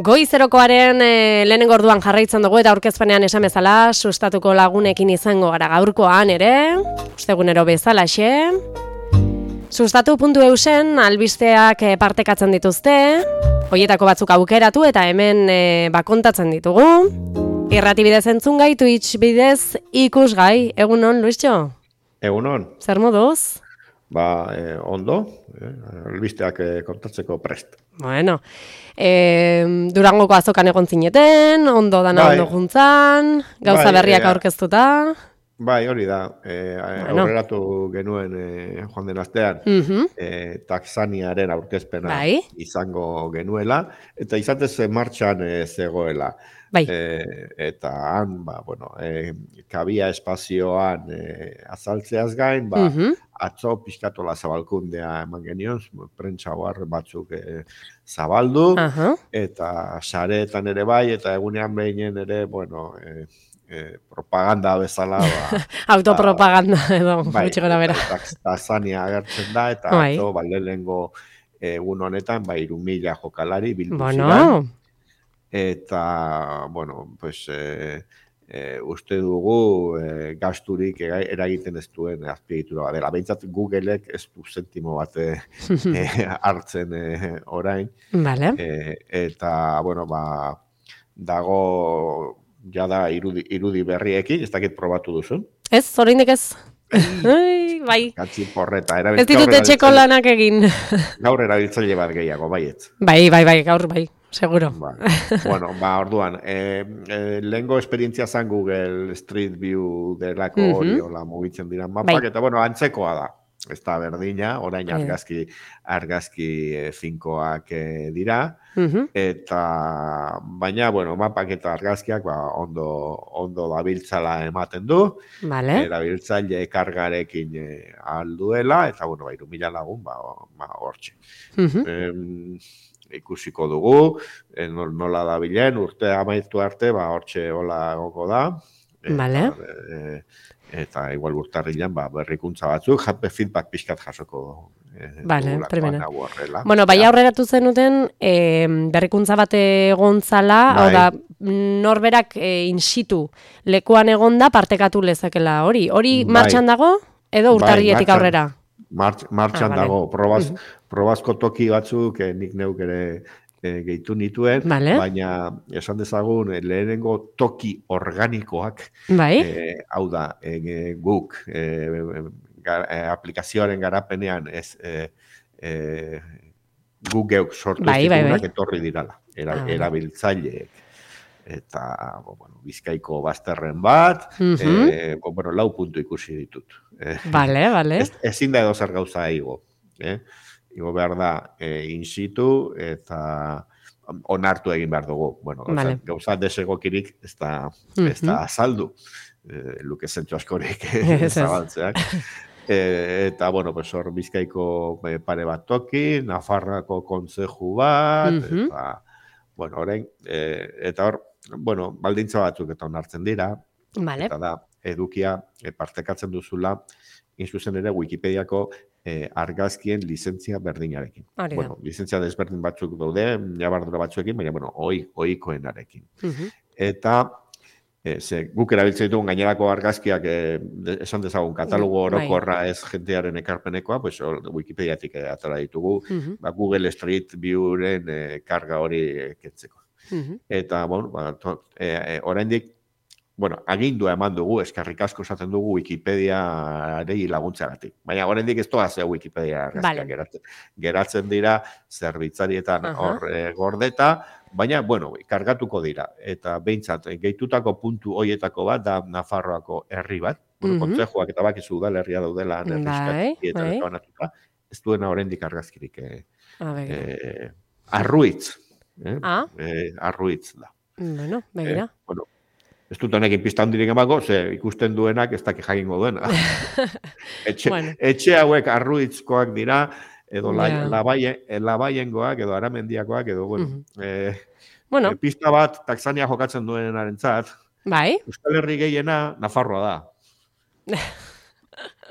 Goizerokoaren lehenengo orduan jarraitzen dugu eta aurkezpenean esan bezala sustatuko lagunekin izango gara gaurkoan ere, ostegunero bezalaxe. Sustatu.eusen albisteak partekatzen dituzte, hoietako batzuk aukeratu eta hemen kontatzen ditugu. Irrati bidez entzungai, Twitch bidez ikusgai. Egunon, Luisjo? Egunon. Zer moduz? Ondo, albisteak kontatzeko prest. Bueno, Durangoko azokan egon zineten, ondo dana ondo juntzan, gauza berriak aurkeztuta. Bai, hori da, aurreratu genuen joan den astean, taxaniaren aurkezpena izango genuela, eta izatez martxan zegoela. Bai. Eta han, kabia espazioan azaltzeaz gain, atzo pixkatola zabalkundea eman genion, prentsa batzuk zabaldu, eta sareetan ere bai, eta egunean behinen ere, propaganda bezala. Autopropaganda edo, gutxi gora bera. Taxania agertzen da, eta atzo, lehenengo egun honetan, 3.000 jokalari bildu ziren. Eta, uste dugu gasturik eragiten ez duen azpiegitura dela. Behintzat Googleek ez du zentimo bat hartzen orain. Vale. Eta, dago jada irudi berriekin, ez dakit probatu duzun. Ez, oraindik ez. Bai. Katzi porreta. Ez ditut etxeko lanak egin. Gaur erabiltzaile bat gehiago, baietz. Bai, gaur bai. Seguro. Orduan, lehengo esperientzia zan Google Street View delako hori hola mugitzen dira mapak, eta antzekoa da. Ez da berdina, orain argazki finkoak dira, eta baina, mapak eta argazkiak ondo dabiltzala ematen du, erabiltzaile kargarekin alduela, eta 3.000 lagun, hortxe. Ikusiko dugu, nola dabilen, urte amaitu arte, hortxe hola goko da. Eta igual urtarrilan berrikuntza batzuk, feedback pixkat jasoko primena. Bai aurreratu zenuten, berrikuntza bat egontzala, hau da, norberak in situ lekuan egonda partekatu lezakela hori. Hori martxan dago, edo urtarrietik aurrera? Martxan dago, probazko toki batzuk nik neuk ere gehitu nituen, baina esan dezagun lehenengo toki organikoak, hau da, guk aplikazioaren garapenean guk geuk sortu eztikunak etorri dirala, erabiltzaileek. Eta, Bizkaiko bazterren bat, 4 puntu ikusi ditut. Bale. Ezin da edo zer gauza igo. Igo behar da in situ eta onartu egin behar dugu. Gauza desegokirik ez da azaldu. Luke zentzu askorik zabaltzeak. Eta, hor Bizkaiko pare bat toki, Nafarroako kontzeju bat, eta, orain, eta hor, baldintza batzuk eta onartzen dira, eta da, edukia partekatzen duzula, inzuzen ere Wikipediako argazkien lizentzia berdinarekin. Lizentzia desberdin batzuk daude, jabardura batzuekin, baina, ohikoenarekin. Eta, guk erabiltzen ditugun gainerako argazkiak esan dezagun katalogo orokorra ez jentearen ekarpenekoa, Wikipediatik atara ditugu, Google Street Viewren karga hori kentzeko. Eta, oraindik, agindua eman dugu, eskerrik asko esaten dugu Wikipediarei laguntzeagatik. Baina oraindik ez doaz Wikipedia argazkiak geratzen dira, zerbitzarietan hor gordeta, baina, kargatuko dira. Eta behintzat, gehitutako puntu hoietako bat da Nafarroako herri bat, kontzejuak eta bakizu udalerria daudela, ez duena oraindik argazkirik. Arruitz. Arruitz da. Begira. Ez dut honekin pista handirik emako, ikusten duenak ez dakik jakingo duena. Etxe hauek arruitzkoak dira, edo labaiengoak, edo aramendiakoak, edo, pista bat taxania jokatzen duenarentzat, Euskal Herri gehiena Nafarroa da.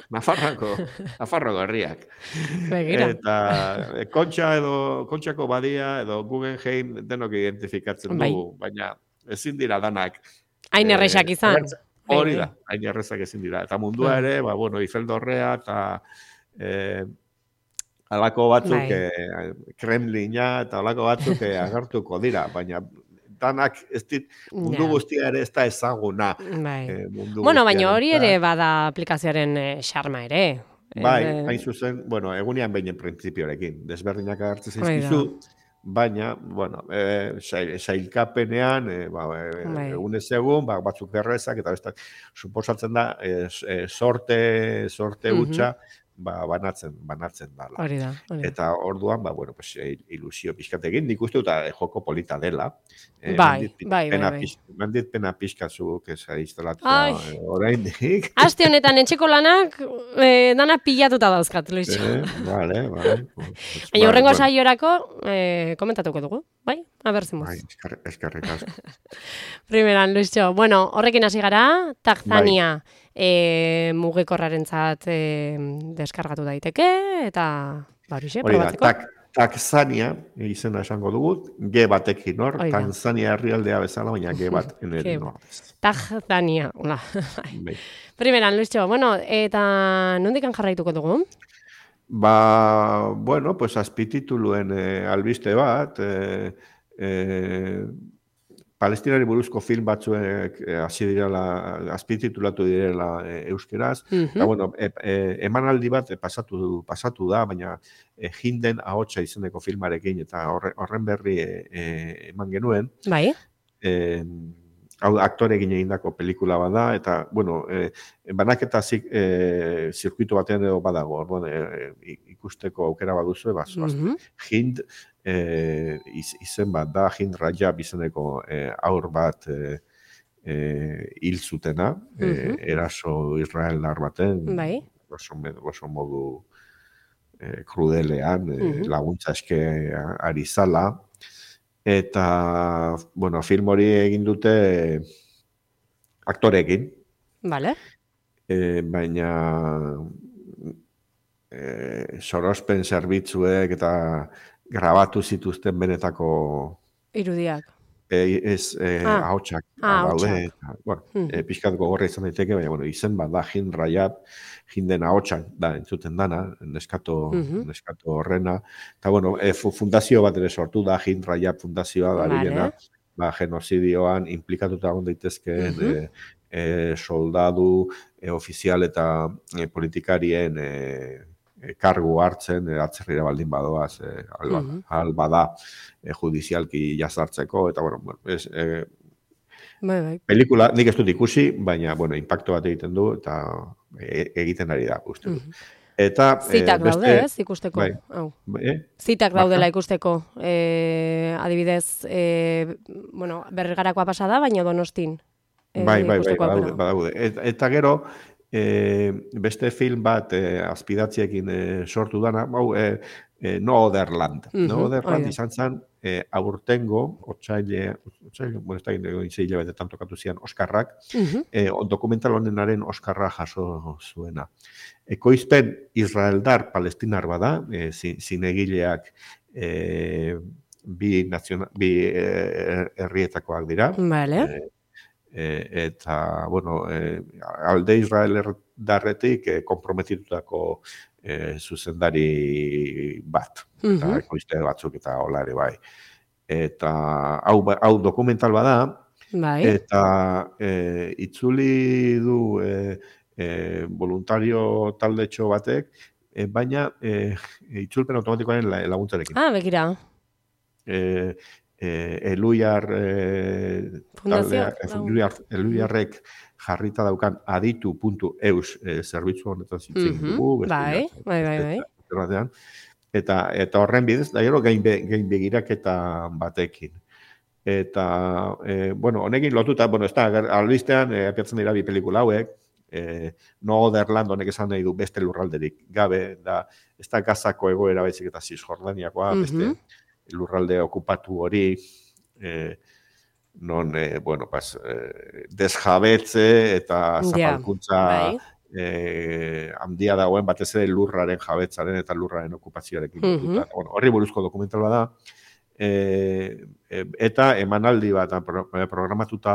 Nafarroko herriak. Begira. Eta Kontxako badia edo Guggenheim denok identifikatzen dugu, baina ezin dira danak. Hain erresak izan. Hori da, hain errezak ezin dira. Eta mundua ere, Eiffel Dorrea eta alako batzuk Kremlina eta alako batzuk agertuko dira, baina danak mundu guztia ere ez da ezaguna. Baina hori ere bada aplikazioaren xarma ere. Hain zuzen, egunean behin printzipioarekin, desberdinak agertzen zaizkizu, baina, sailkapenean, egunez egun, batzuk errezak, eta bestak, suposatzen da, sorte hutsa, banatzen dala. Hori da. Eta orduan, ilusio pixkatekin, nik uste eta joko polita dela. Bai. Mandit pena pixkatzuk ez instalatzea oraindik. Aste honetan etxeko lanak dana pilatuta dauzkat, Luisio. Vale. Baina horrengo saiorako komentatuko dugu, bai? A ver zemuz. Eskerrik asko. Primeran, Luisio. Horrekin hasi gara, Tanzania mugikorrarentzat deskargatu daiteke, eta horixe, probatzeko. Tanzania izena esango dugu, G batekin hor, Tanzania herrialdea bezala, baina G bat enerin hor. Tanzania, hola. Primeran, Luisio, eta nondikan jarraituko dugu? Azpitituluen albiste bat, Palestinari buruzko film batzuek hasi direla, azpititulatu direla euskeraz. Emanaldi bat pasatu da, baina Hinden ahotsa izeneko filmarekin, eta horren berri eman genuen. Bai. Hau aktorekin egindako pelikula bada, eta, banaketa zirkuitu batean edo badago, ikusteko aukera baduzu, Hind izen bat da, Hind Rajab izeneko aur bat hil zutena, eraso israeldar baten, oso modu krudelean, laguntza eske ari zala, eta, film hori egin dute aktorekin. Vale. Baina sorospen zerbitzuek eta grabatu zituzten benetako irudiak. Ahotsak daude. Pixkat gogorra izan daiteke, baina izen bat da Hind Rajab, Hinden ahotsak da entzuten dana, neskato horrena. Eta fundazio bat ere sortu da, Hind Rajab fundazioa da bilena, genozidioan implikatuta egon daitezkeen soldadu, ofizial eta politikarien kargu hartzen, atzerrira baldin badoaz, alba da, judizialki jazartzeko, eta, pelikula nik ez dut ikusi, baina, impacto bat egiten du, eta egiten ari da, uste du. Zitak daude, ez, ikusteko. Zitak daudela ikusteko. Adibidez, Bergarakoa pasada, baina Donostin. Badaude. Eta gero, beste film bat azpidatziekin sortu dana, No Other Land. No Other Land izan zen aurtengo, otsaile, ez da gine betetan tokatu zian, Oskarrak, dokumental honenaren Oskarra jaso zuena. Ekoizpen israeldar palestinar bada, zinegileak bi herrietakoak dira. Vale. Eta, alde israelerdarretik komprometitutako zuzendari bat, eta ekoizte batzuk eta hola ere bai. Eta hau dokumental bada, eta itzuli du voluntario taldetxo batek, baina itzulpen automatikoaren laguntzarekin. Begira. Eluiarrek jarrita daukan aditu.eus zerbitzu honetan zintzen dugu. Bai. Eta horren bidez, da gero gain begiraketa batekin. Eta, honekin lotuta, ez da, albistean, apiatzen dira bi pelikula hauek, No Other Land honek esan nahi du beste lurralderik gabe, ez da Gazako egoera baizik eta Cisjordaniakoa, beste lurralde okupatu hori, non, desjabetze eta zapalkuntza handia dagoen, batez ere lurraren jabetzaren eta lurraren okupazioarekin lotuta. Bueno, horri buruzko dokumental da. Eta emanaldi bat programatuta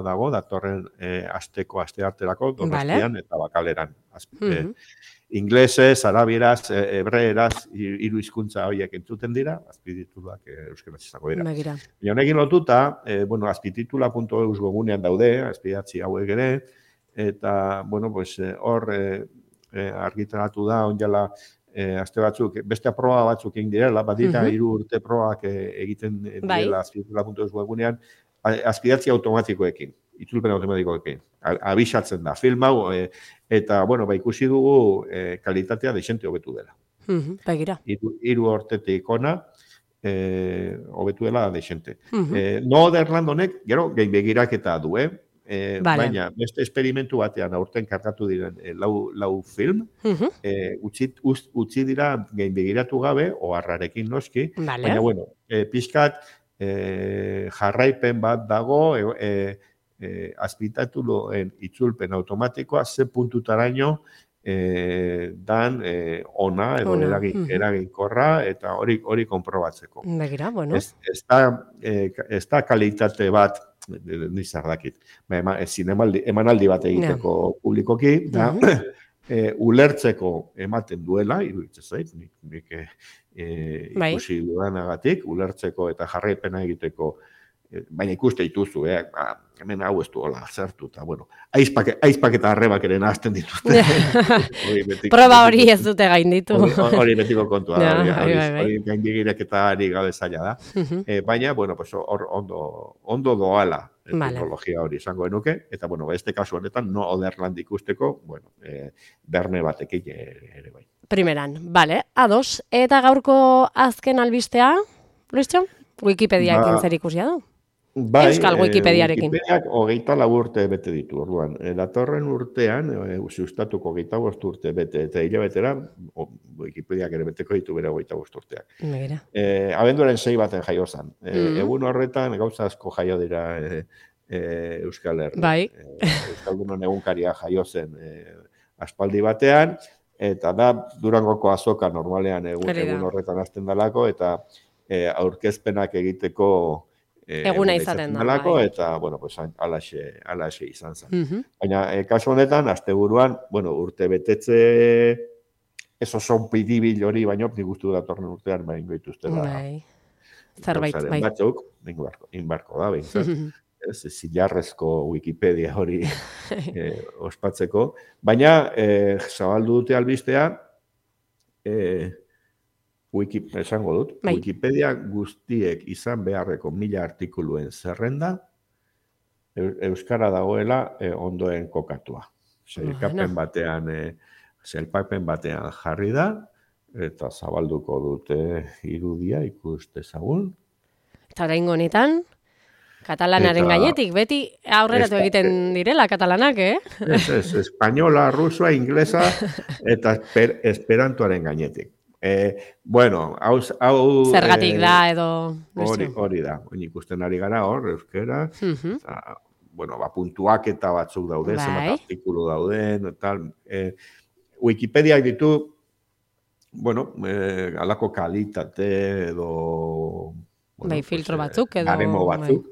dago, datorren astearterako, Donostian eta Bakaleran. Inglesez, arabieraz, hebreeraz, hiru hizkuntza horiek entzuten dira, azpitituluak euskaraz izango dira. Honekin lotuta, azpititula.eus gogunean daude, azpidatzi hauek ere, eta, hor argitaratu da, onjala, aste batzuk, beste proba batzuk egin direla, badira 3 urte probak egiten direla azpititula.eus gogunean, azpidatzi automatikoekin. Itzulpen automatikoekin. Abisatzen da film hau, eta, ikusi dugu kalitatea desente hobetu dela. Begira. 3 urtetik ona, hobetu dela desente. No Derland honek, gero, gehi begiraketa du, baina, beste esperimentu batean aurten kargatu diren lau film, utzi dira gehi begiratu gabe, oharrarekin noski, baina, pixkat jarraipen bat dago, azpitituluen itzulpen automatikoa ze puntutaraino dan ona edo eraginkorra eta hori konprobatzeko. Begira, Ez da kalitate bat, nizar dakit, emanaldi bat egiteko publikoki, da ulertzeko ematen duela, iruditzen zait, nik ikusi dudanagatik, ulertzeko eta jarraipena egiteko, baina ikuste dituzu, hemen hau ez du hola zertu, eta, aizpak eta arrebak ere nahazten dituzte. Proba hori ez dute gainditu. Hori betiko kontua, hori gaindigirek eta ari gabe zaila da. Baina, hor ondo doala teknologia hori izango genuke, eta, este kasu honetan, no Oderland ikusteko, berne batekin ere bai. Primeran, ados. Eta gaurko azken albistea, Luistxo? Wikipediakin zer ikusia du? Euskal Wikipediarekin. Wikipediak 24 urte bete ditu, orduan. Datorren urtean, sustatuko 25 urte bete, eta hilabetera, Wikipediak ere beteko ditu bere 25 urteak. Abenduaren 6 baten jaio zan. Egun horretan, gauza asko jaio dira Euskal Herri. Euskaldunon egunkaria jaio zen aspaldi batean, eta da Durangoko azoka normalean egun horretan hasten dalako, eta aurkezpenak egiteko eguna izaten da. Eta, alaxe izan zen. Baina, kasu honetan, asteburuan, urte betetze ez oso pidibil hori, baina nik uste datorren urtean, baina goituzte da. Zerbait, bai. Batzuk, inbarko da, zilarrezko Wikipedia hori ospatzeko. Baina, zabaldu dute albistea, esango dut, Wikipedia guztiek izan beharreko 1000 artikuluen zerrenda euskara dagoela ondoen kokatua. Sailkapen batean jarri da, eta zabalduko dute irudia ikustezagun. Eta oraingo honetan, katalanaren gainetik, beti aurreratu egiten direla katalanak, Ez, espainola, rusua, inglesa, eta esperantoaren gainetik. Zergatik da edo... Hori da, ikusten ari gara hor, euskera, puntuak eta batzuk daude, zenbat artikulu dauden, tal. Wikipediak ditu, alako kalitate edo... filtro batzuk edo... Garemo batzuk.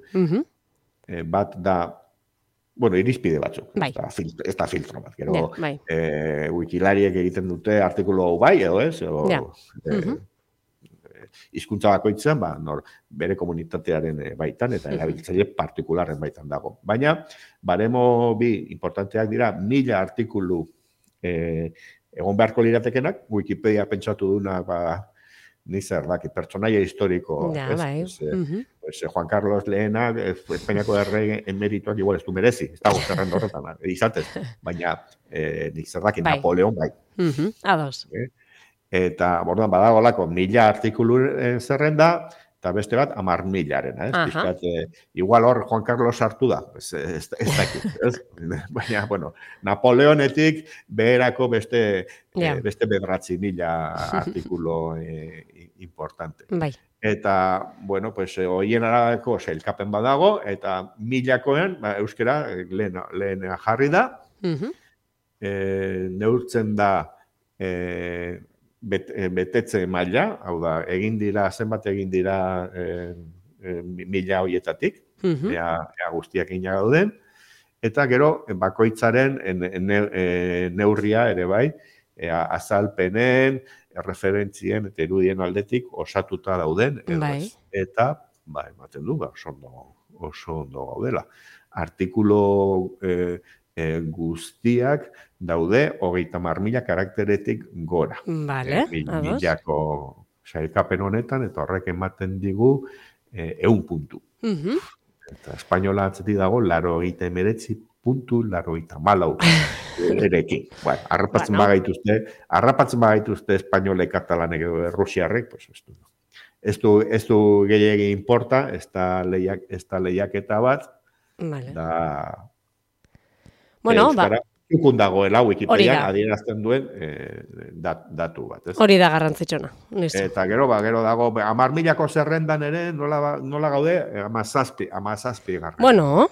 Bat da, irizpide batzuk. Ez da filtro bat. Gero, wikilariek egiten dute artikulu hau bai, edo ez? Hizkuntza bakoitzean, bere komunitatearen baitan, eta erabiltzaile partikularren baitan dago. Baina, baremo bi importanteak dira, 1000 artikulu egon beharko liratekenak, Wikipedia pentsatu duna, nizar daki, pertsonaia historiko. Juan Carlos Lehena, Espainiako errege emerituak igual ez du merezi, ez dago zerrenda horretan, izatez. Baina, nizar daki, Napoleon bai. Ados. Eta, bordan, badagolako 1000 artikulu zerrenda, eta beste bat, 10.000-aren. Igual hor Juan Carlos sartu da, ez dakit. Baina, Napoleonetik beherako beste 9.000 artikulu importante. Eta, hoien arabeko sailkapen badago, eta 1000-koen, euskera, lehen jarri da, neurtzen da betetze maila, hau da, zenbat egin dira mila horietatik, ea guztiak ina gauden, eta gero, bakoitzaren neurria ere bai, azalpenen, referentzien eta irudien aldetik osatuta dauden, eta, ematen du, oso ondo gaudela. Artikulo guztiak daude 30.000 karakteretik gora. Milako sailkapen honetan, eta horrek ematen digu 100 puntu. Eta espainola atzetik dago, 89.94 erekin. Arrapatzen bagaituzte espainolek, katalanek edo errusiarrek, pues ez du gehiagin importa, ez da lehiaketa bat, da euskara ikun dagoela Wikipedian adierazten duen datu bat. Hori da garrantzitsuna. Eta gero dago 10.000ko zerrendan ere nola gaude 17 garrantzitsuna. Bueno.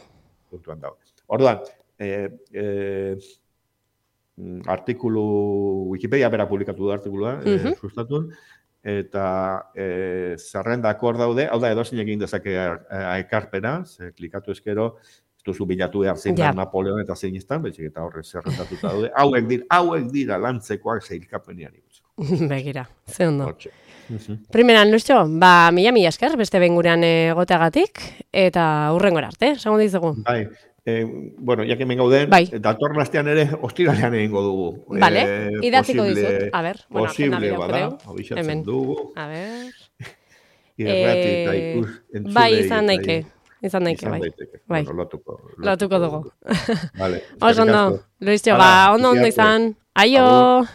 Puntuan dago. Orduan, artikulu Wikipedia bera publikatu da artikulua, sustatun, eta zerrendak hor daude, hau da edozein egin dezake ekarpena, klikatu ezkero, ez duzu bilatu behar zein da Napoleon eta zein izan, betxik eta horre zerrendatuta daude, hauek dira lantzekoak zeilkapenian ikutzeko. Begira, ze ondo. Primeran, Luxo, mila esker, beste bengurean egoteagatik, eta hurrengora arte, esango dizugu. Bueno, ya que hemen gauden, datorren astean ere ostiralean egingo dugu. Vale, idatziko dizut. A ver, posible bada, abixatzen dugu. A ver. Irrati eta ikus entzulei. Bai, izan daike. Bai. Lotuko dugu. Vale. Oso ondo, Luis, ondo izan. Aio!